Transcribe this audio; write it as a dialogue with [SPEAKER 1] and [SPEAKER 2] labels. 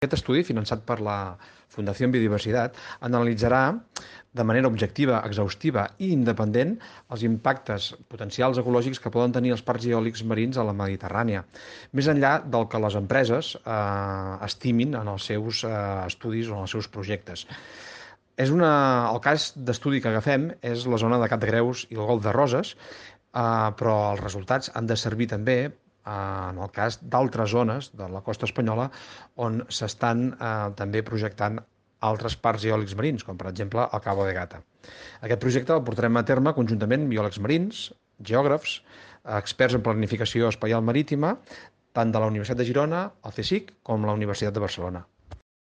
[SPEAKER 1] Aquest estudi, finançat per la Fundació Biodiversitat, analitzarà de manera objectiva, exhaustiva i independent els impactes potencials ecològics que poden tenir els parcs eòlics marins a la Mediterrània, més enllà del que les empreses estimin en els seus estudis o en els seus projectes. El cas d'estudi que agafem és la zona de Cap de Creus i el Golf de Roses, però els resultats han de servir també en el cas d'altres zones de la costa espanyola on s'estan també projectant altres parcs eòlics marins, com per exemple el Cabo de Gata. Aquest projecte el portarem a terme conjuntament biòlegs marins, geògrafs, experts en planificació espaial marítima, tant de la Universitat de Girona, el CSIC, com la Universitat de Barcelona.